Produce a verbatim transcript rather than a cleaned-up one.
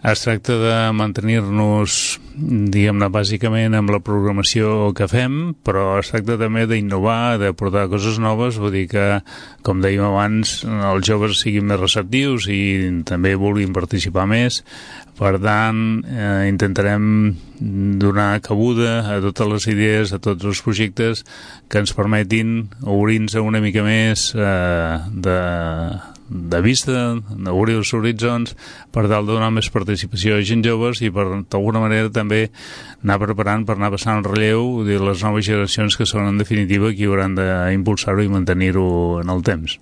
Es tracta de mantenir-nos, diguem-ne, bàsicament amb la programació que fem, però es tracta també d'innovar, de portar coses noves, vull dir que, com dèiem abans, els joves siguin més receptius i també vulguin participar més. Per tant, eh, intentarem donar cabuda a totes les idees, a tots els projectes que ens permetin obrir-nos una mica més eh, de... de vista, d'obrir els horitzons per tal de donar més participació a gent joves i per d'alguna manera també anar preparant per anar passant el relleu de les noves generacions que són en definitiva qui hauran d'impulsar-ho i mantenir-ho en el temps.